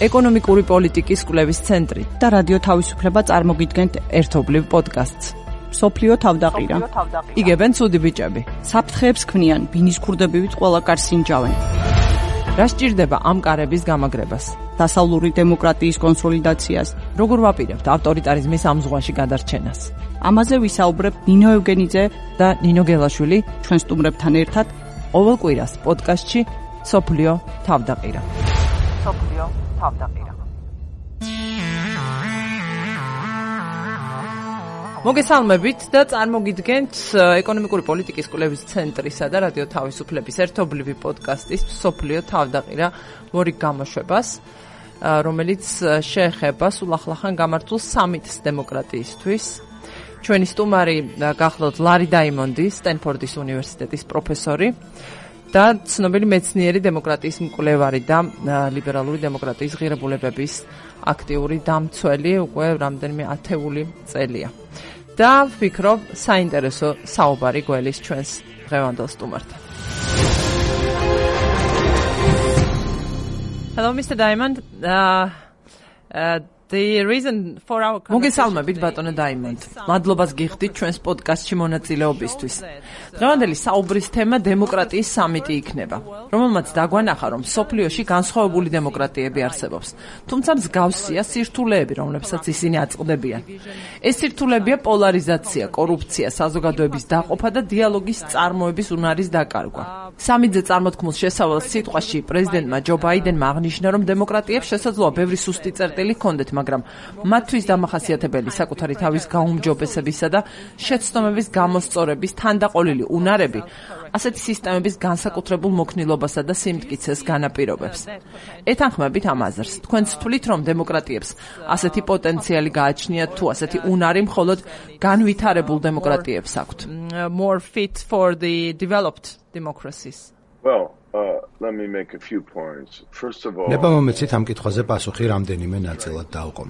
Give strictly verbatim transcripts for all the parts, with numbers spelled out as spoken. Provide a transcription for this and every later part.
ეკონომიკური პოლიტიკის კვლევის ცენტრი და რადიო თავისუფლება წარმოგიდგენთ ერთობლივ პოდკასტს. სოფლიო თავდაყირა. იგებენ ცუდი ბიჭები. საფრთხეებს ქმნიან, ბინის ქურდებივით ყველა კარს ინჯავენ. რა სჭირდება ამ კარების გამაგრებას? დასავლური დემოკრატიის კონსოლიდაციას. როგორ ვაპირებთ ავტორიტარიზმის ამ ზღვაში გადარჩენას? ამაზე ვისაუბრებ ნინო ევგენიძე და ნინო გელაშვილი ჩვენ სტუმრებთან ერთად ყოველ კვირას პოდკასტში სოფლიო თავდაყირა. სოფლიო თავდაყირა. მოგესალმებით და წარმოგიდგენთ ეკონომიკური პოლიტიკის კვლევის ცენტრისა და რადიო თავისუფლების ერთობლივი პოდკასტის სოფლიო თავდაყირა მორი გამოშვებას, რომელიც შეეხება სულ ახლახან გამართულ სამიტს დემოკრატიისთვის. ჩვენი სტუმარი გახლავთ ლარი დაიმონდი, სტენფორდის უნივერსიტეტის პროფესორი და ცნობილი მეცნიერი დემოკრატიის მკვლევარი და ლიბერალური დემოკრატიის ღირებულებების აქტიური დამცველი უკვე რამდენიმე ათეული წელია. და ვფიქრობ, საინტერესო საუბარი გველის ჩვენს დღევანდელ სტუმართან. Hello, Mister Diamond. Uh, uh, The reason for our მოგესალმებით ბატონო დაიმონდ. მადლობას გიხდით ჩვენს პოდკასტში მონაწილეობისთვის. დღევანდელი საუბრის თემა დემოკრატიის სამიტი იქნება, რომელმაც დაგვანახა, რომ სოფლიოში განსხვავებული დემოკრატიები არსებობს. თუმცა მსგავსია სირთულეები, რომლებსაც ისინი აწყდებიან. ეს სირთულეებია პოლარიზაცია, კორუფცია, საზოგადოების დაყოფა და დიალოგის წარმოების უნარის დაკარგვა. სამიტზე წარმოთქმულ შესავალ სიტყვაში პრეზიდენტმა ჯო ბაიდენმა აღნიშნა, რომ დემოკრატიებს შესაძლოა ბევრი სუსტი წერტილი ჰქონდეთ, მაგრამ მათთვის დამახასიათებელი საკუთარი თავის გაუმჯობესებისა და შეცდომების გამოსწორების თანდაყოლილი უნარები ასეთი სისტემების განსაკუთრებულ მოქნილობასა და სიმტკიცეს განაპირობებს. ეთანხმებით ამ აზრს, თქვენ თვლით, რომ დემოკრატიებს ასეთი პოტენციალი გააჩნიათ თუ ასეთი უნარი მხოლოდ განვითარებულ დემოკრატიებს აქვთ? More fit for the developed democracies. Well, uh, let me make a few points. First of all, ნება მომეცით ამ კითხვაზე პასუხი რამდენიმე ნაწილად დავყო.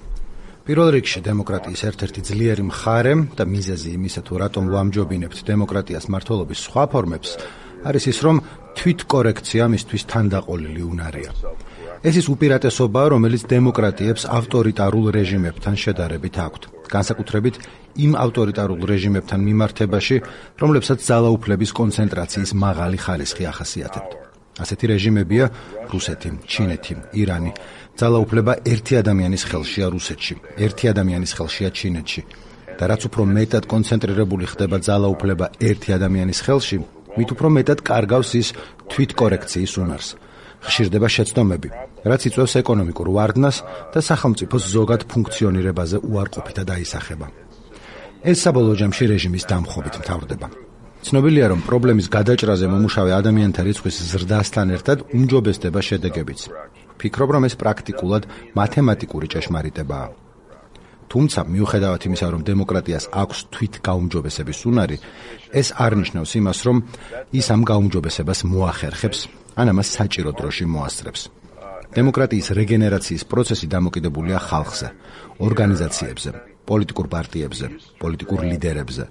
პირველ რიგში დემოკრატიის ერთ-ერთი ძლიერი მხარე და მიზეზი იმისა, თუ რატომ ვამჯობინებთ დემოკრატიას მმართველობის სხვა ფორმებს, არის ის, რომ თვითკორექცია მისთვის თანდაყოლილი უნარია. ეს ის უპირატესობაა, რომელიც დემოკრატიებს ავტორიტარულ რეჟიმებთან შედარებით აქვთ, განსაკუთრებით იმ ავტორიტარულ რეჟიმებთან მიმართებაში, რომლებსაც ძალაუფლების კონცენტრაციის მაღალი ხარისხი ახასიათებთ. ასეთი რეჟიმებია რუსეთი, ჩინეთი, ირანი. ძალაუფლება ერთი ადამიანის ხელშია რუსეთში, ერთი ადამიანის ხელშია ჩინეთში. და რაც უფრო მეტად კონცენტრირებული ხდება ძალაუფლება ერთი ადამიანის ხელში, მით უფრო მეტად კარგავს ის თვითკორექციის უნარს. ხშირდება შეცდომები, რაც იწვევს ეკონომიკურ ვარდნას და სახელმწიფოს ზოგად ფუნქციონირებაზე უარყოფითად აისახება. ეს საბოლოო ჯამში რეჟიმის დამხობით მთავრდება. ცნობილია, რომ პრობლემის გადაჭრაზე მომუშავე ადამიანთა რიცხვის ზრდასთან ერთად უმჯობესდება შედეგებიც. ფიქრობ, რომ ეს პრაქტიკულად მათემატიკური ჭეშმარიტებაა. თუმცა, მიუხედავად იმისა, რომ დემოკრატიას აქვს თვით გაუმჯობესების უნარი, ეს არ ნიშნავს იმას, რომ ის ამ გაუმჯობესებას მოახერხებს, ან ამას საჭირო დროში მოასწრებს. დემოკრატიის რეგენერაციის პროცესი დამოკიდებულია ხალხზე, ორგანიზაციებზე, პოლიტიკურ პარტიებზე, პოლიტიკურ ლიდერებზე.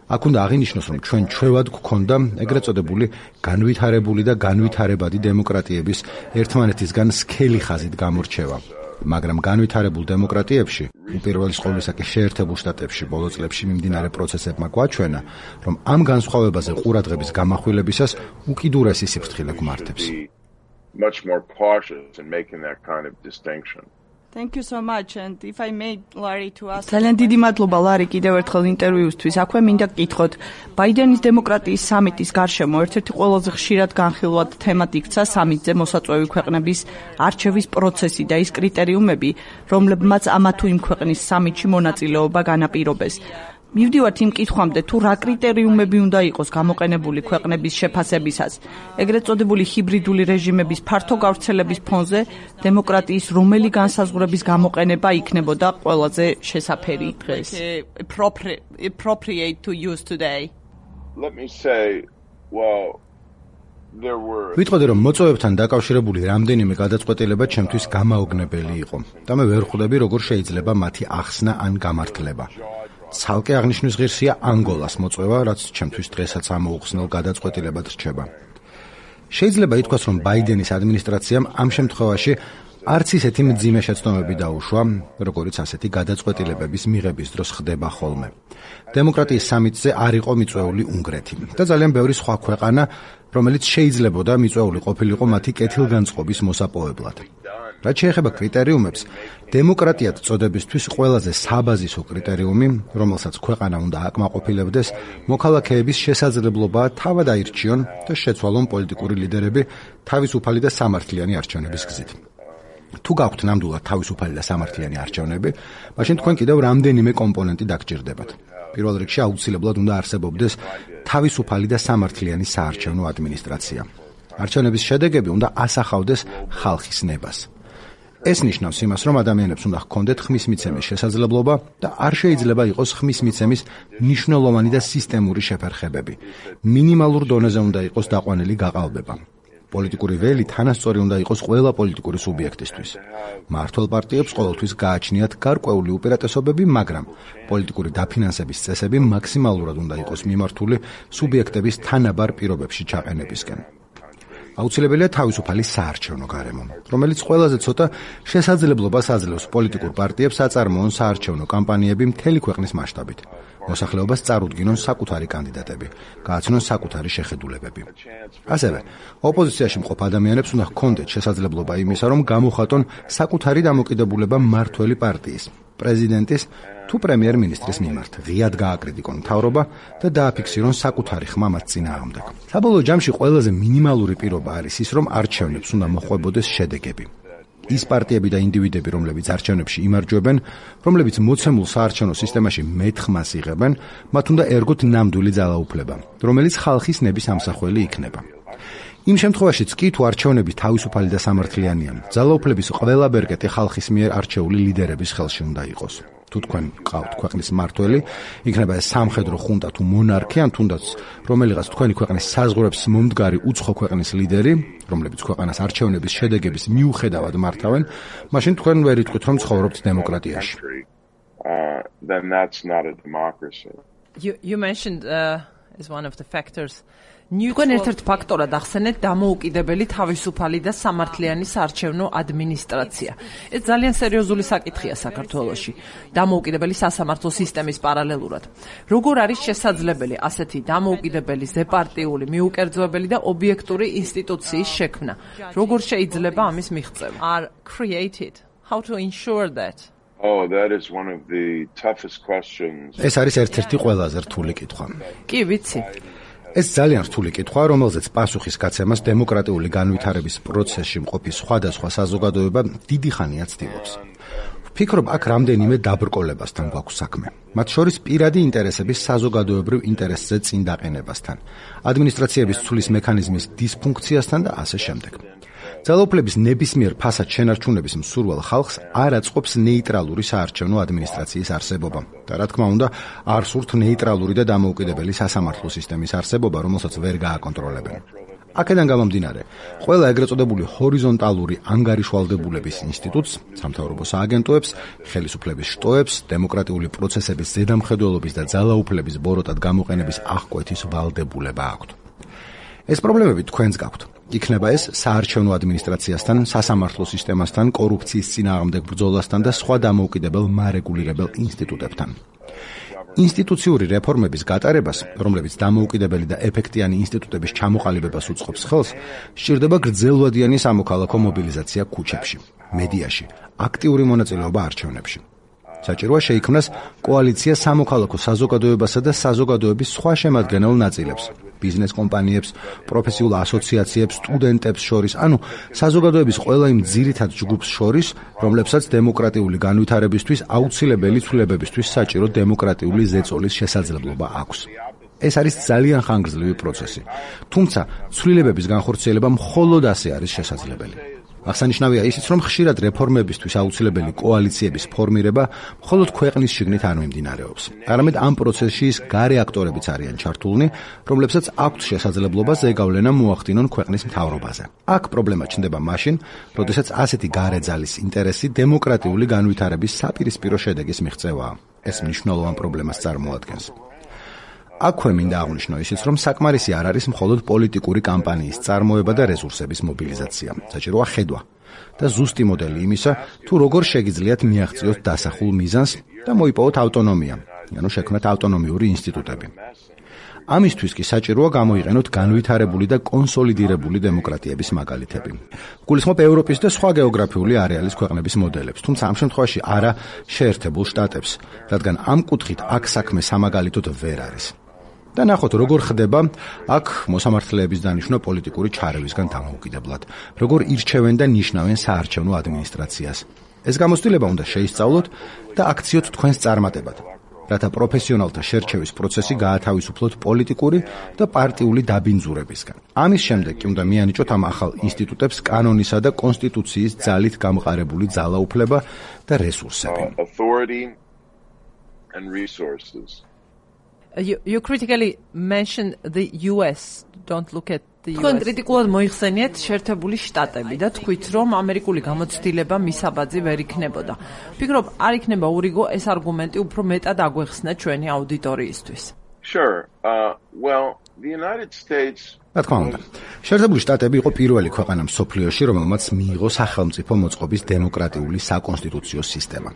აქ უნდა აღინიშნოს, რომ ჩვენ ჩვევად გვქონდა ეგრეთ წოდებული განვითარებული და განვითარებადი დემოკრატიების ერთმანეთისგან სქელი ხაზით გამორჩევა. მაგრამ განვითარებულ დემოკრატიებში, უპირველეს ყოვლისა კი შეერთებულ შტატებში ბოლო წლებში მიმდინარე პროცესებმა გვაჩვენა, რომ ამ განსხვავებაზე ყურადღების გამახვილებისას უკიდურესი სიფრთხილე გვმართებს. much more cautious in making that kind of distinction. Thank you so much, and if I may, Larry, to ask. ძალიან დიდი მადლობა ლარი კიდევ ერთხელ ინტერვიუსთვის. აქვე მინდა გკითხოთ, ბაიდენის დემოკრატიის სამიტის გარშემო ერთ-ერთი ყველაზე ხშირად განხილვად თემად იქცა სამიტზე მოსაწვევი ქვეყნების არჩევის პროცესი და ის კრიტერიუმები, რომლებმაც ამა თუ იმ ქვეყნის სამიტში მონაწილეობა განაპირობეს. მივდივართ იმ კითხვამდე, თუ რა კრიტერიუმები უნდა იყოს გამოყენებული ქვეყნების შეფასებისას, ეგრეთ წოდებული ჰიბრიდული რეჟიმების ფართო გავრცელების ფონზე დემოკრატიის რომელი განსაზღვრების გამოყენება იქნებოდა ყველაზე შესაფერი დღეს? Appropriate to use today. Let me say, well, there were ვიტყოდი, რომ მოწვევებთან დაკავშირებული რამდენიმე გადაწყვეტილება ჩემთვის გამაოგნებელი იყო და მე ვერ ხვდები, როგორ შეიძლება მათი ახსნა ან გამართლება. ცალკე აღნიშნვის ღირსია ანგოლას მოწვევა, რაც ჩემთვის დღესაც ამოუხსნელ გადაწყვეტილებად რჩება. შეიძლება ითქვას, რომ ბაიდენის ადმინისტრაციამ ამ შემთხვევაში არც ისეთი მძიმე შეცდომები დაუშვა, როგორც ასეთი გადაწყვეტილებების მიღების დროს ხდება ხოლმე. დემოკრატიის სამიტზე არ იყო მიწვეული უნგრეთი და ძალიან ბევრი სხვა ქვეყანა, რომელიც შეიძლებოდა მიწვეული ყოფილიყო მათი კეთილგანწყობის მოსაპოვებლად. რაც შეეხება კრიტერიუმებს, დემოკრატიად წოდებისთვის ყველაზე საბაზისო კრიტერიუმი, რომელსაც ქვეყანა უნდა აკმაყოფილებდეს, მოქალაქეების შესაძლებლობაა თავად აირჩიონ და შეცვალონ პოლიტიკური ლიდერები თავისუფალი და სამართლიანი არჩევნების გზით. თუ გაქვთ ნამდვილად თავისუფალი და სამართლიანი არჩევნები, მაშინ თქვენ კიდევ რამდენიმე კომპონენტი დაგჭირდებათ. პირველ რიგში აუცილებლად უნდა არსებობდეს თავისუფალი და სამართლიანი საარჩევნო ადმინისტრაცია. არჩევნების შედეგები უნდა ასახავდეს ხალხის ნებას. ეს ნიშნავს იმას, რომ ადამიანებს უნდა ჰქონდეთ ხმის მიცემის შესაძლებლობა და არ შეიძლება იყოს ხმის მიცემის მნიშვნელოვანი და სისტემური შეფერხებები. მინიმალურ დონეზე უნდა იყოს დაყვანილი გაყალბება. პოლიტიკური ველი თანასწორი უნდა იყოს ყველა პოლიტიკური სუბიექტისთვის. მმართველ პარტიებს ყოველთვის გააჩნიათ გარკვეული უპირატესობები, მაგრამ პოლიტიკური დაფინანსების წესები მაქსიმალურად უნდა იყოს მიმართული სუბიექტების თანაბარ პირობებში ჩაყენებისკენ. აუცილებელია თავისუფალი საარჩევნო გარემო, რომელიც ყველაზე ცოტა შესაძლებლობას აძლევს პოლიტიკურ პარტიებს აწარმოონ საარჩევნო კამპანიები მთელი ქვეყნის მასშტაბით. მოსახლეობას წარუდგინონ საკუთარი კანდიდატები, გააცნონ საკუთარი შეხედულებები. ასევე, ოპოზიციაში მყოფ ადამიანებს უნდა ჰქონდეთ შესაძლებლობა იმისა, რომ გამოხატონ საკუთარი დამოკიდებულება მმართველი პარტიის, პრეზიდენტის თუ პრემიერ-მინისტრის მიმართ, ღიად გააკრიტიკონ მთავრობა და დააფიქსირონ საკუთარი ხმა მათ წინააღმდეგ. საბოლოო ჯამში ყველაზე მინიმალური პირობა არის ის, რომ არჩევნებს უნდა მოხვებოდეს შედეგები. ის პარტიები და ინდივიდები, რომლებიც არჩევნებში იმარჯვებენ, რომლებიც მოცემულ საარჩევნო სისტემაში მეტ ხმას იღებენ, მათ უნდა ერგოთ ნამდვილი ძალაუფლება, რომელიც ხალხის ნების ამსახველი იქნება. იმ შემთხვევაშიც კი თუ არჩევნები თავისუფალი და სამართლიანია, ძალაუფლების ყველა ბერკეტი ხალხის მიერ არჩეული ლიდერების ხელში უნდა იყოს. თუ თქვენ გყავთ ქვეყნის მმართველი, იქნება ეს სამხედრო ხუნტა თუ მონარქი, ან თუნდაც რომელიღაც თქვენი ქვეყნის საზღვრებს მომდგარი უცხო ქვეყნის ლიდერი, რომლებიც ქვეყანას არჩევნების შედეგების მიუხედავად მართავენ, მაშინ თქვენ ვერ იტყვით, რომ ცხოვრობთ დემოკრატიაში. Uh, then that's not a democracy. You, you mentioned uh, as one of the factors თქვენ ერთ-ერთ ფაქტორად ახსენეთ დამოუკიდებელი თავისუფალი და სამართლიანი საარჩევნო ადმინისტრაცია. ეს ძალიან სერიოზული საკითხია საქართველოში. დამოუკიდებელი სასამართლო სისტემის პარალელურად. როგორ არის შესაძლებელი ასეთი დამოუკიდებელი, ზეპარტიული, მიუკერძოებელი და ობიექტური ინსტიტუციის შექმნა? როგორ შეიძლება ამის მიღწევა? Are created. How to ensure that? Oh, that is one of the toughest questions. ეს არის ერთ-ერთი ყველაზე რთული კითხვა. კი, ვიცი. ეს ძალიან რთული კითხვა, რომელზეც პასუხის გაცემას დემოკრატიული განვითარების პროცესში მყოფი სხვადასხვა საზოგადოება დიდი ხანია ცდილობს. ვფიქრობ, აქ რამდენიმე დაბრკოლებასთან გვაქვს საქმე. მათ შორის პირადი ინტერესების საზოგადოებრივ ინტერესზე წინ დაყენებასთან, ადმინისტრაციების ცვლის მექანიზმის დისფუნქციასთან და ასე შემდეგ. ძალაუფლების ნებისმიერ ფასად შენარჩუნების მსურველ ხალხს არ აწყობს ნეიტრალური საარჩევნო ადმინისტრაციის არსებობა და რა თქმა უნდა არ სურთ ნეიტრალური და დამოუკიდებელი სასამართლო სისტემის არსებობა, რომელსაც ვერ გააკონტროლებენ. აქედან გამომდინარე, ყველა ეგრეთ წოდებული ჰორიზონტალური ანგარიშვალდებულების ინსტიტუტს, სამთავრობო სააგენტოებს, ხელისუფლების შტოებს, დემოკრატიული პროცესების ზედამხედველობის და ძალაუფლების ბოროტად გამოყენების აღკვეთის ვალდებულება აქვთ. ეს პრობლემები თქვენს გაქვთ. იქნება ეს საარჩევნო ადმინისტრაციასთან, სასამართლო სისტემასთან, კორუფციის წინააღმდეგ ბრძოლასთან და სხვა დამოუკიდებელ მარეგულირებელ ინსტიტუტებთან. ინსტიტუციური რეფორმების გატარებას, რომლებიც დამოუკიდებელი და ეფექტიანი ინსტიტუტების ჩამოყალიბებას უწყობს ხელს, სჭირდება გრძელვადიანი სამოქალაქო მობილიზაცია ქუჩებში, მედიაში, აქტიური მონაწილეობა არჩევნებში. საჭიროა შეიქმნას კოალიცია სამოქალაქო საზოგადოებასა და საზოგადოების სხვა შემადგენელ ნაწილებს, ბიზნეს კომპანიებს, პროფესიულ ასოციაციებს, სტუდენტებს შორის, ანუ საზოგადოების ყველა იმ ძირითად ჯგუფს შორის, რომლებსაც დემოკრატიული განვითარებისთვის აუცილებელი ცვლილებებისთვის საჭირო დემოკრატიული ზეწოლის შესაძლებლობა აქვს. ეს არის ძალიან ხანგრძლივი პროცესი, თუმცა ცვლილებების განხორციელება მხოლოდ ასე არის შესაძლებელი. აღსანიშნავია ისიც, რომ ხშირად რეფორმებისთვის აუცილებელი კოალიციების ფორმირება მხოლოდ ქვეყნის შიგნით არ მიმდინარეობს. არამედ ამ პროცესში ის გარე აქტორებიც არიან ჩართულნი, რომლებსაც აქვთ შესაძლებლობა ზეგავლენა მოახდინონ ქვეყნის მთავრობაზე. აქ პრობლემა ჩნდება მაშინ, როდესაც ასეთი გარე ძალის ინტერესი დემოკრატიული განვითარების საპირისპირო შედეგის მიღწევაა. ეს მნიშვნელოვან პრობლემას წარმოადგენს. აქვე მინდა აღვნიშნო ისიც, რომ საკმარისი არ არის მხოლოდ პოლიტიკური კამპანიის წარმოება და რესურსების მობილიზაცია. საჭიროა ხედვა და ზუსტი მოდელი იმისა, თუ როგორ შეგიძლიათ მიაღწიოთ დასახულ მიზანს და მოიპოვოთ ავტონომია, ანუ შექმნათ ავტონომიური ინსტიტუტები. ამისთვის კი საჭიროა გამოიყენოთ განვითარებული და კონსოლიდირებული დემოკრატიების მაგალითები. გულისხმობ ევროპის და სხვა გეოგრაფიული არეალის ქვეყნების მოდელებს, თუმცა ამ შემთხვევაში არა შეერთებულ შტატებს, რადგან ამ კუთხით აქ საქმე სამაგალითოდ ვერ არის. და ნახოთ, როგორ ხდება აქ მოსამართლეების დანიშვნა პოლიტიკური ჩარევისგან დამოუკიდებლად, როგორ ირჩევენ და ნიშნავენ საარჩევნო ადმინისტრაციას. ეს გამოცდილება უნდა შეისწავლოთ და აქციოთ თქვენს წარმატებად, რათა პროფესიონალთა შერჩევის პროცესი გაათავისუფლოთ პოლიტიკური და პარტიული დაბინძურებისგან. ამის შემდეგ კი უნდა მიანიჭოთ ამ ახალ ინსტიტუტებს კანონისა და კონსტიტუციის ძალით გამყარებული ძალაუფლება და რესურსები. You, you critically mentioned the U S. Don't look at the U S. თქვენ კრიტიკულად მოიხსენიეთ შეერთებული შტატები და თქვით, რომ ამერიკული გამოცდილება მისაბაძი ვერ იქნებოდა. ვფიქრობ, არ იქნება ურიგო ეს არგუმენტი უფრო მეტად აგვეხსნა ჩვენი აუდიტორიისთვის. Sure. Uh, well, the United States რა თქმა უნდა, შეერთებული შტატები იყო პირველი ქვეყანა მსოფლიოში, რომელმაც მიიღო სახელმწიფო მოწყობის დემოკრატიული საკონსტიტუციო სისტემა.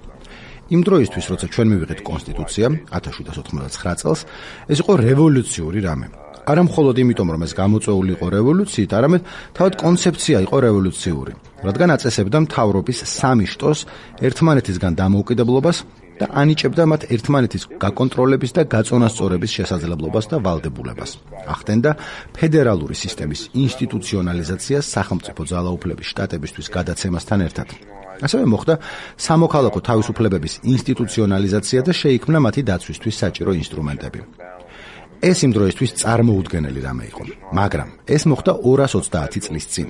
იმ დროისთვის, როცა ჩვენ მივიღეთ კონსტიტუცია ათას შვიდსათ ოთხმოცდათხმეტ წელს, ეს იყო რევოლუციური რამე. არა მხოლოდ იმიტომ, რომ ეს გამოწვეული იყო რევოლუციით, არამედ თავად კონცეფცია იყო რევოლუციური, რადგან აწესებდა მთავრობის სამი შტოს ერთმანეთისგან დამოუკიდებლობას და ანიჭებდა მათ ერთმანეთის გაკონტროლების და გაწონასწორების შესაძლებლობას და ვალდებულებას. ახდენდა ფედერალური სისტემის ინსტიტუციონალიზაციას სახელმწიფო ძალაუფლების შტატებისთვის გადაცემასთან ერთად. ასევე მოხდა სამოქალაქო თავისუფლებების ინსტიტუციონალიზაცია და შეიქმნა მათი დაცვისთვის საჭირო ინსტრუმენტები. ეს იმ დროისთვის წარმოუდგენელი რამე იყო, მაგრამ ეს მოხდა ორას ოცდაათი წლის წინ.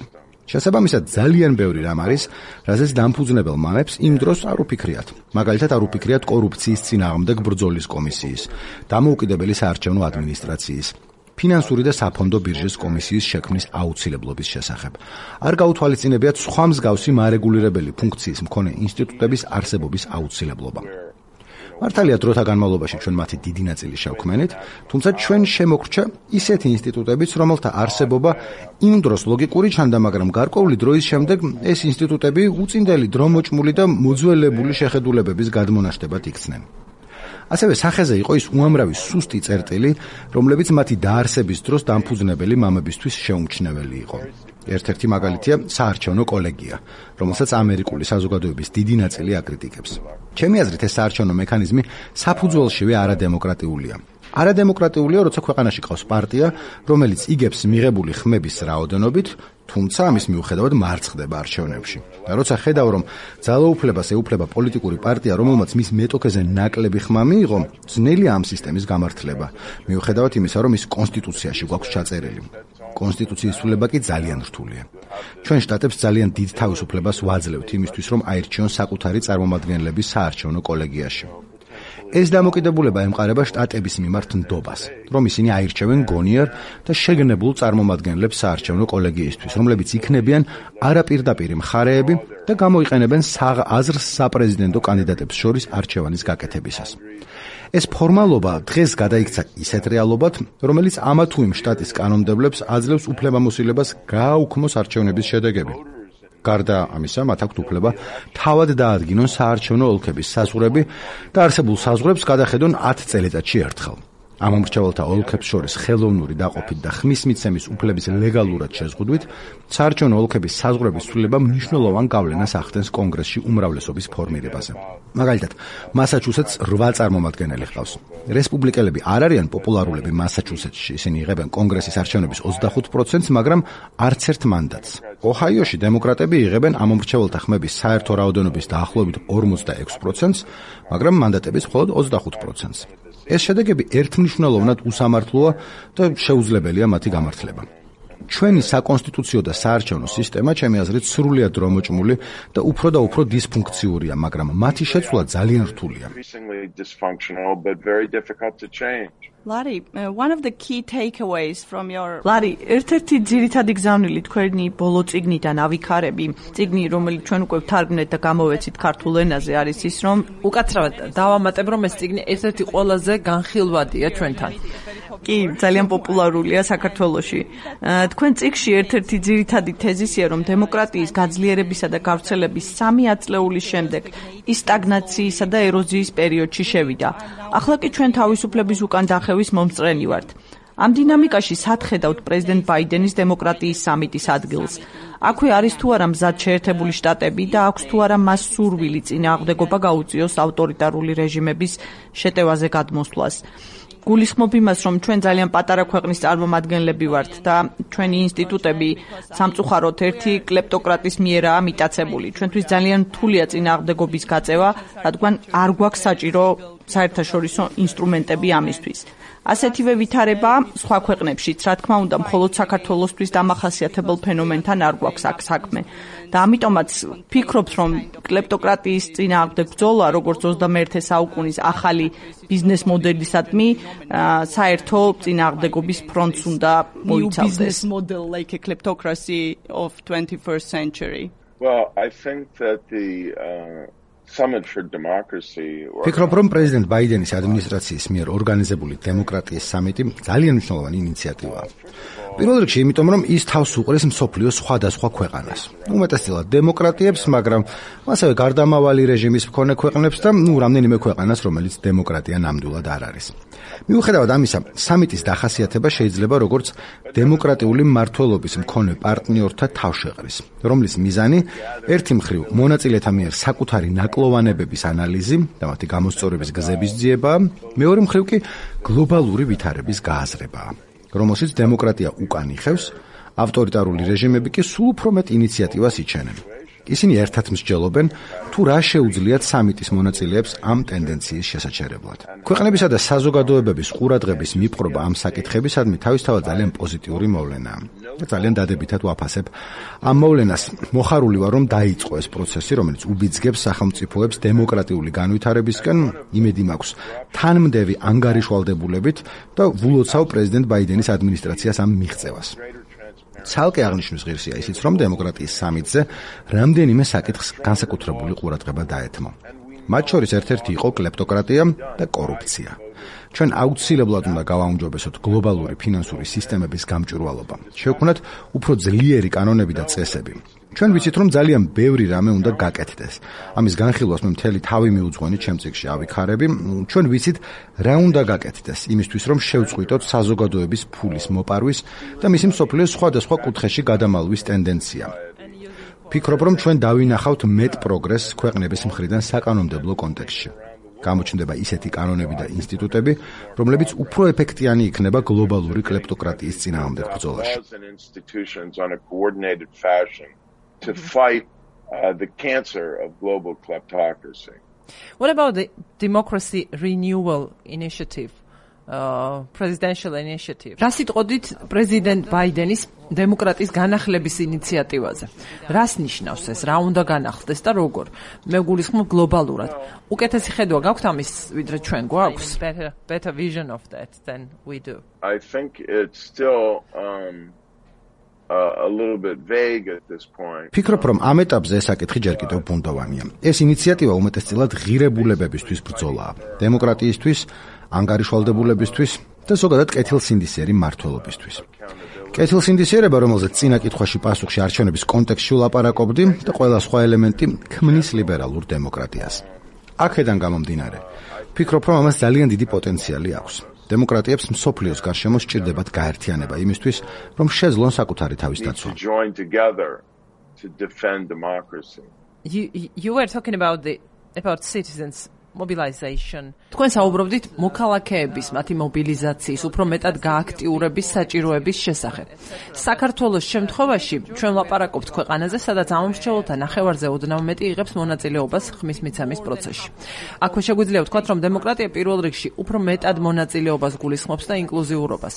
შესაბამისად, ძალიან ბევრი რამ არის, რაზეც დამფუძნებელ მამებს იმ დროს არ უფიქრიათ. მაგალითად, არ უფიქრიათ კორუფციის წინააღმდეგ ბრძოლის კომისიის, დამოუკიდებელი საარჩევნო ადმინისტრაციის, ფინანსური და საფონდო ბირჟის კომისიის შექმნის აუცილებლობის შესახებ. არ გაუთვალისწინებიათ სხვა მსგავსი მარეგულირებელი ფუნქციის მქონე ინსტიტუტების არსებობის აუცილებლობა. მართალია, დროთა განმავლობაში ჩვენ მათი დიდი ნაწილი შევქმენით, თუმცა ჩვენ შემოგრჩა ისეთი ინსტიტუტებიც, რომელთა არსებობა იმ დროს ლოგიკური ჩანდა, მაგრამ გარკვეული დროის შემდეგ ეს ინსტიტუტები უწინდელი დრომოჭმული და მოძველებული შეხედულებების გადმონაშთებად იქცნენ. ასევე სახეზე იყო ის უამრავი სუსტი წერტილი, რომლებიც მათი დაარსების დროს დამფუძნებელი მამებისთვის შეუმჩნეველი იყო. ერთ-ერთი მაგალითია საარჩევნო კოლეგია, რომელსაც ამერიკული საზოგადოების დიდი ნაწილი აკრიტიკებს. ჩემი აზრით, ეს საარჩევნო მექანიზმი საფუძველშივე არადემოკრატიულია. არადემოკრატიულია, როცა ქვეყანაში ყავს პარტია, რომელიც იგებს მიღებული ხმების რაოდენობით, თუმცა ამის მიუხედავად მარცხდება არჩევნებში. და როცა ხედავ, რომ ძალაუფლებას ეუფლება პოლიტიკური პარტია, რომელმაც მის მეტოქეზე ნაკლები ხმა მიიღო, ძნელია ამ სისტემის გამართლება, მიუხედავად იმისა, რომ ის კონსტიტუციაში გვაქვს ჩაწერილი. კონსტიტუციის ცვლილება კი ძალიან რთულია. ჩვენ შტატებს ძალიან დიდ თავისუფლებას ვაძლევთ იმისთვის, რომ აირჩიონ საკუთარი წარმომადგენლები საარჩევნო კოლეგიაში. ეს დამოკიდებულება ემყარება შტატების მიმართ ნდობას, რომ ისინი აირჩევენ გონიერ და შეგნებულ წარმომადგენლებს საარჩევნო კოლეგიისთვის, რომლებიც იქნებიან არაპირდაპირი მხარეები და გამოიყენებენ აზრს საპრეზიდენტო კანდიდატებს შორის არჩევანის გაკეთებისას. ეს ფორმალობა დღეს გადაიქცა ისეთ რეალობად, რომელიც ამა თუ იმ შტატის კანონმდებლებს აძლევს უფლებამოსილებას გააუქმოს არჩევნების შედეგები. გარდა ამისა, მათ აქვთ უფლება თავად დაადგინონ საარჩევნო ოლქების საზღვრები და არსებულ საზღვრებს გადახედონ ათი წელიწადში ერთხელ. ამ მომრჩეველთა ოლქებს შორის ხელოვნური დაყოფით და ხმის მიცემის უფლების ლეგალურად შეზღუდვით, საარჩევნო ოლქების საზღვრების ცვლილება მნიშვნელოვან გავლენას ახდენს კონგრესში უმრავლესობის ფორმირებაზე. მაგალითად, მასაჩუსეტსს რვა წარმომადგენელი ჰყავს. რესპუბლიკელები არ არიან პოპულარულები მასაჩუსეტსში, ისინი იღებენ კონგრესის არჩევნების ოცდახუთ პროცენტს, მაგრამ არც ერთ მანდატს. ოჰაიოში დემოკრატები იღებენ ამ მომრჩეველთა ხმების საერთო რაოდენობის დაახლოებით ორმოცდაექვსი პროცენტს, მაგრამ მანდატების მხოლოდ ოცდახუთ პროცენტს. ეს შედეგები ერთმნიშვნელოვნად უსამართლოა და შეუძლებელია მათი გამართლება. ჩვენი საკონსტიტუციო და საარჩევნო სისტემა, ჩემი აზრით, სრულიად დრომოჭმული და უფრო და უფრო დისფუნქციურია, მაგრამ მათი შეცვლა ძალიან რთულია. Larry, uh, one of the key takeaways from your Larry, ერთ-ერთი ძირითადი გზავნილი თქვენი ბოლო წიგნიდან ავიქარები, წიგნი, რომელიც ჩვენ უკვე ვთარგმნეთ და გამოვეცით ქართულ ენაზე, არის ის, რომ უკაცრავად დავამატებ, რომ ეს წიგნი ერთ-ერთი ყველაზე განხილვადია ჩვენთან. კი, ძალიან პოპულარულია საქართველოში. თქვენ წიგნში ერთ-ერთი ძირითადი თეზისია, რომ დემოკრატიის გაძლიერებისა და გავრცელების სამი ათწლეულის შემდეგ ის სტაგნაციისა და ეროზიის პერიოდში შევიდა. ახლა კი ჩვენ თავისუფლების უკან დახევის მომსწრენი ვართ. ამ დინამიკაში სახედავთ პრეზიდენტ ბაიდენის დემოკრატიის სამიტის ადგილს. აქვე არის თუ არა მზად შეერთებული შტატები და აქვს თუ არა მას სურვილი წინააღმდეგობა გაუწიოს ავტორიტარული რეჟიმების შეტევაზე გადმოსვლას. გულისხმობ იმას, რომ ჩვენ ძალიან პატარა ქვეყნის წარმომადგენლები ვართ და ჩვენი ინსტიტუტები სამწუხაროდ ერთი კლეპტოკრატის მიერაა მიტაცებული. ჩვენთვის ძალიან რთულია წინააღმდეგობის გაწევა, რადგან არ გვაქვს საჭირო საერთაშორისო ინსტრუმენტები ამისთვის. ასეთივე ვითარება სხვა ქვეყნებშიც, რა თქმა უნდა, მხოლოდ საქართველოსთვის დამახასიათებელ ფენომენთან არ გვაქვს აქ საქმე. და ამიტომაც ფიქრობთ, რომ კლეპტოკრატიის წინააღმდეგ ბრძოლა, როგორც ოცდამეერთე საუკუნის ახალი ბიზნეს მოდელისადმი, საერთო წინააღმდეგობის ფრონტს უნდა მოიცავდეს. Business model like a kleptocracy of twenty-first century. Well, I think that the uh... Summit for Democracy. ფიქრობ, რომ პრეზიდენტ ბაიდენის ადმინისტრაციის მიერ ორგანიზებული დემოკრატიის სამიტი ძალიან მნიშვნელოვანი ინიციატივაა. პირველ რიგში, იმიტომ რომ ის თავს უყრის მსოფლიოს სხვადასხვა ქვეყანას. უმეტესწილად დემოკრატიებს, მაგრამ ასევე გარდამავალი რეჟიმის მქონე ქვეყნებს და ნუ რამდენიმე ქვეყანას, რომელიც დემოკრატია ნამდვილად არ არის. მიუხედავად ამისა, სამიტის დახასიათება შეიძლება როგორც დემოკრატიული მმართველობის მქონე პარტნიორთა თავშეყრის, რომლის მიზანი ერთი მხრივ მონაწილეთა მიერ საკუთარი ნაკლოვანებების ანალიზი და მათი გამოსწორების გზების ძიებაა, მეორე მხრივ კი გლობალური ვითარების გააზრებაა, რომელშიც დემოკრატია უკან იხევს, ავტორიტარული რეჟიმები კი სულ უფრო მეტ ინიციატივას იჩენენ. ისინი ერთად მსჯელობენ, თუ რა შეუძლიათ სამიტის მონაწილეებს ამ ტენდენციის შესაჩერებლად. ქვეყნებისა და საზოგადოებების ყურადღების მიპყრობა ამ საკითხებისადმი თავისთავად ძალიან პოზიტიური მოვლენაა. ძალიან დადებითად ვაფასებ ამ მოვლენას. მოხარული ვარ, რომ დაიწყო ეს პროცესი, რომელიც უბიძგებს სახელმწიფოებს დემოკრატიული განვითარებისკენ. იმედი მაქვს თანმდევი ანგარიშვალდებულებით და ვულოცავ პრეზიდენტ ბაიდენის ადმინისტრაციას ამ მიღწევას. ცალკე აღნიშნვის ღირსია ისიც, რომ დემოკრატიის სამიტზე რამდენიმე საკითხს განსაკუთრებული ყურადღება დაეთმო. მათ შორის ერთ-ერთი იყო კლეპტოკრატია და კორუფცია. ჩვენ აუცილებლად უნდა გავაუმჯობესოთ გლობალური ფინანსური სისტემების გამჭვირვალობა. შევქმნათ უფრო ძლიერი კანონები და წესები. ჩვენ ვიცით, რომ ძალიან ბევრი რამე უნდა გაკეთდეს. ამის განხილვას მე მთელი თავი მიუძღვენი ჩემ წიგნში ავიქარები. ჩვენ ვიცით, რა უნდა გაკეთდეს იმისთვის, რომ შევწყვიტოთ საზოგადოების ფულის მოპარვის და მისი მსოფლიოს სხვადასხვა კუთხეში გადამალვის ტენდენცია. ფიქრობ, რომ ჩვენ დავინახავთ მეტ პროგრესს ქვეყნების მხრიდან საკანონმდებლო კონტექსტში. გამოჩნდება ისეთი კანონები და ინსტიტუტები, რომლებიც უფრო ეფექტიანი იქნება გლობალური კლეპტოკრატიის წინააღმდეგ ბრძოლაში. To fight uh, the cancer of global kleptocracy. What about the democracy renewal initiative, uh, presidential initiative? რას იტყოდით პრეზიდენტ ბაიდენის დემოკრატიის განახლების ინიციატივაზე? რას ნიშნავს ეს? რა უნდა განახლდეს და როგორ? მე გულისხმობ გლობალურად. უკეთესი ხედვა გაქვთ ამის, ვიდრე ჩვენ გვაქვს? Better, better vision of that than we do. I think it's still um a little bit vague at this point. ფიქრობ, რომ ამ ეტაპზე ეს საკითხი ჯერ კიდევ ბუნდოვანია. ეს ინიციატივა უმეტესწილად ღირებულებებისთვის ბრძოლაა. დემოკრატიისთვის, ანგარიშვალდებულებისთვის და ზოგადად კეთილსინდისიერი მმართველობისთვის. კეთილსინდისიერება, რომელზეც წინა კითხვაში პასუხში არჩევნების კონტექსტში ვლაპარაკობდი და ყველა სხვა ელემენტი ქმნის ლიბერალურ დემოკრატიას. აქედან გამომდინარე, ფიქრობ, რომ ამას ძალიან დიდი პოტენციალი აქვს. დემოკრატიებს მსოფლიოს გარშემო სჭირდებათ გაერთიანება იმისთვის, რომ შეძლონ საკუთარი თავის დაცვა. You, you were talking about the about citizens mobilization. თქვენ საუბრობდით მოქალაქეების მათი მობილიზაციის, უფრო მეტად გააქტიურების საჭიროების შესახებ. საქართველოს შემთხვევაში ჩვენ ვლაპარაკობთ ქვეყანაზე, სადაც ამომრჩეველთა ნახევარზე ოდნავ მეტი იღებს მონაწილეობას ხმის მიცემის პროცესში. აქვე შეგვიძლია ვთქვათ, რომ დემოკრატია პირველ რიგში უფრო მეტად მონაწილეობას გულისხმობს და ინკლუზიურობას.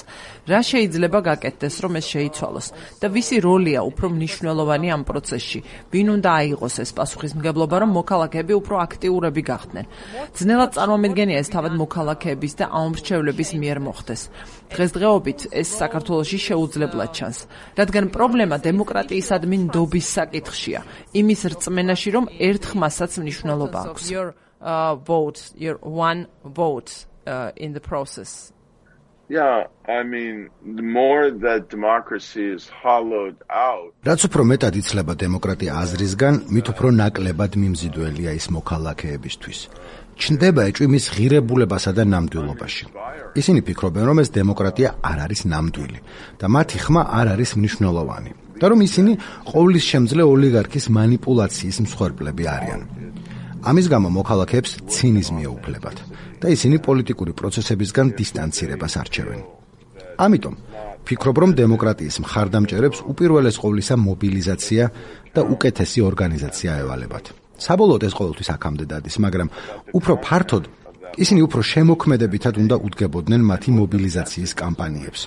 რა შეიძლება გაკეთდეს, რომ ეს შეიცვალოს და ვისი როლია უფრო მნიშვნელოვანი ამ პროცესში? ვინ უნდა აიღოს ეს პასუხისმგებლობა, რომ მოქალაქეები უფრო აქტიურები გახდნენ? ძნელად წარმომედგენია ეს თავად მოქალაქეების და აუმრჩევლების მიერ მოხდეს. დღესდღეობით ეს საქართველოში შეუძლებლად ჩანს, რადგან პრობლემა დემოკრატიისადმი ნდობის საკითხშია, იმის რწმენაში, რომ ერთ ხმასაც მნიშვნელობა აქვს. Your uh, vote, your one vote uh, in the process. Yeah, I mean, the more that democracy is hollowed out. რაც უფრო მეტად იცლება დემოკრატია აზრისგან, მით უფრო ნაკლებად მიმზიდველია ის მოქალაქეებისთვის. ჩნდება ეჭვი მის ღირებულებასა და ნამდვილობაში. ისინი ფიქრობენ, რომ ეს დემოკრატია არ არის ნამდვილი და მათი ხმა არ არის მნიშვნელოვანი. და რომ ისინი ყოვლისშემძლე ოლიგარქის манипуляციის მსხვერპლები არიან. ამის გამო მოქალაქეებს ცინიზმი ეუფლებათ და ისინი პოლიტიკური პროცესებისგან დისტანცირებას არჩევენ. ამიტომ ფიქრობ, რომ დემოკრატიის მხარდამჭერებს უპირველეს ყოვლისა მობილიზაცია და უკეთესი ორგანიზაცია ევალებათ. საბოლოოდ ეს ყოველთვის აქამდე დადის, მაგრამ უფრო ფართოდ ისინი უფრო შემოქმედებითად უნდა უდგებოდნენ მათი მობილიზაციის კამპანიებს.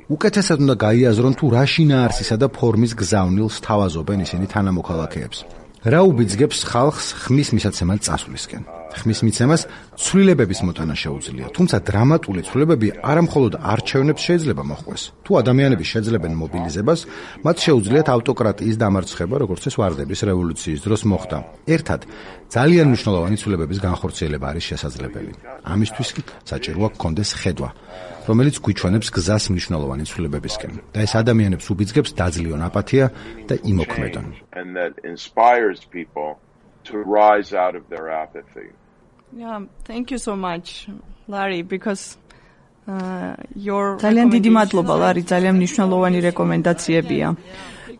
უკეთესად უნდა გაიაზრონ თუ რა შინაარსისა და ფორმის გზავნილს თავაზობენ ისინი თანამოქალაქეებს. რა უბიძგებს ხალხს ხმის მისაცემად წასვლისკენ. ხმის მიცემას ცვლილებების მოტანა შეუძლია, თუმცა დრამატული ცვლილებები არა მხოლოდ არჩევნებს შეიძლება მოჰყვეს. თუ ადამიანები შეძლებენ მობილიზებას, მათ შეუძლიათ ავტოკრატიის დამარცხება, როგორც ეს ვარდების რევოლუციის დროს მოხდა. ერთად, ძალიან მნიშვნელოვანი ცვლილებების განხორციელება არის შესაძლებელი. ამისთვის კი საჭიროა გქონდეს ხედვა, რომელიც გვიჩვენებს გზას მნიშვნელოვანი ცვლილებებისკენ და ეს ადამიანებს უბიძგებს დაძლიონ აპათია და იმოქმედონ. And that inspires people to rise out of their apathy. Yeah, thank you so much, Larry, because uh, your ძალიან დიდი მადლობა, Larry, ძალიან მნიშვნელოვანი რეკომენდაციებია.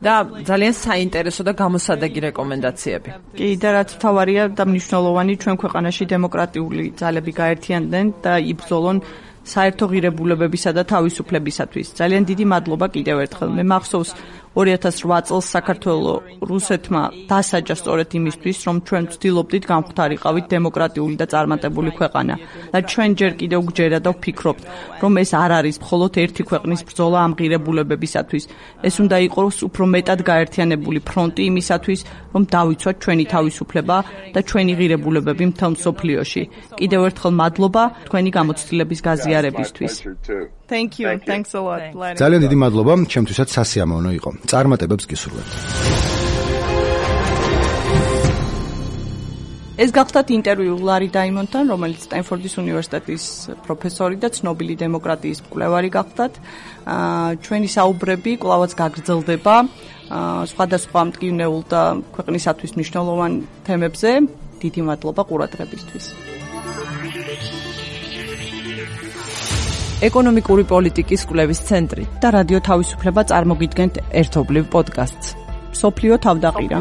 და ძალიან საინტერესო და გამოსადეგი რეკომენდაციები. კი, და რაც თავარია და მნიშვნელოვანი, ჩვენ ქვეყანაში დემოკრატიული ძალები გაერთიანდნენ და იბრძოლონ საერთო ღირებულებებისა და თავისუფლებისათვის. ძალიან დიდი მადლობა კიდევ ერთხელ. მე მახსოვს ორი ათას რვა წელს საქართველოს რუსეთმა დასაჯა სწორედ იმისთვის, რომ ჩვენ ვცდილობდით გამختარიყავით დემოკრატიული და წარმატებული ქვეყანა. და ჩვენ ჯერ კიდევ გჯერა და ვფიქრობთ, რომ ეს არ არის მხოლოდ ერთი ქვეყნის ბრძოლა ამ ღირებულებებისათვის. ეს უნდა იყოს უფრო მეტად გაერთიანებული ფრონტი იმისათვის, რომ დავიცვათ ჩვენი თავისუფლება და ჩვენი ღირებულებები მთელ მსოფლიოში. კიდევ ერთხელ მადლობა თქვენი გამოცდილების გაზიარებისთვის. Thank you. Thanks a lot. ძალიან დიდი მადლობა, ჩემთვისაც სასიამოვნო იყო. წარმატებებს გისურვებთ. ეს გახდათ ინტერვიუ ლარი დაიმონთან, რომელიც სტენფორდის უნივერსიტეტის პროფესორი და ცნობილი დემოკრატიის მკვლევარი გახდათ. ჩვენი საუბრები კვლავაც გაგრძელდება სხვადასხვა მტკივნეულ და ქვეყნისათვის მნიშვნელოვან თემებზე. დიდი მადლობა ყურადღებისთვის. ეკონომიკური პოლიტიკის კვლევის ცენტრი და რადიო თავისუფლება წარმოგიდგენთ ერთობლივ პოდკასტს. სოფლიო თავდაყირა.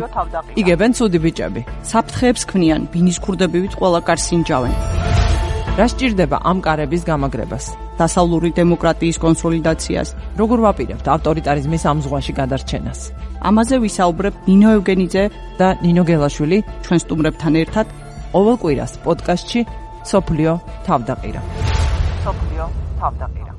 იგებენ ცუდი ბიჭები. საფრთხეებს ქმნიან, ბინის ქურდებივით ყველა კარს ინჯავენ. რა სჭირდება ამ კარების გამაგრებას? დასავლური დემოკრატიის კონსოლიდაციას. როგორ ვაპირებთ ავტორიტარიზმის ამ ზღვაში გადარჩენას? ამაზე ვისაუბრებ ნინო ევგენიძე და ნინო გელაშვილი ჩვენ სტუმრებთან ერთად ყოველ კვირას პოდკასტში სოფლიო თავდაყირა. სოფლიო თავდაყირა.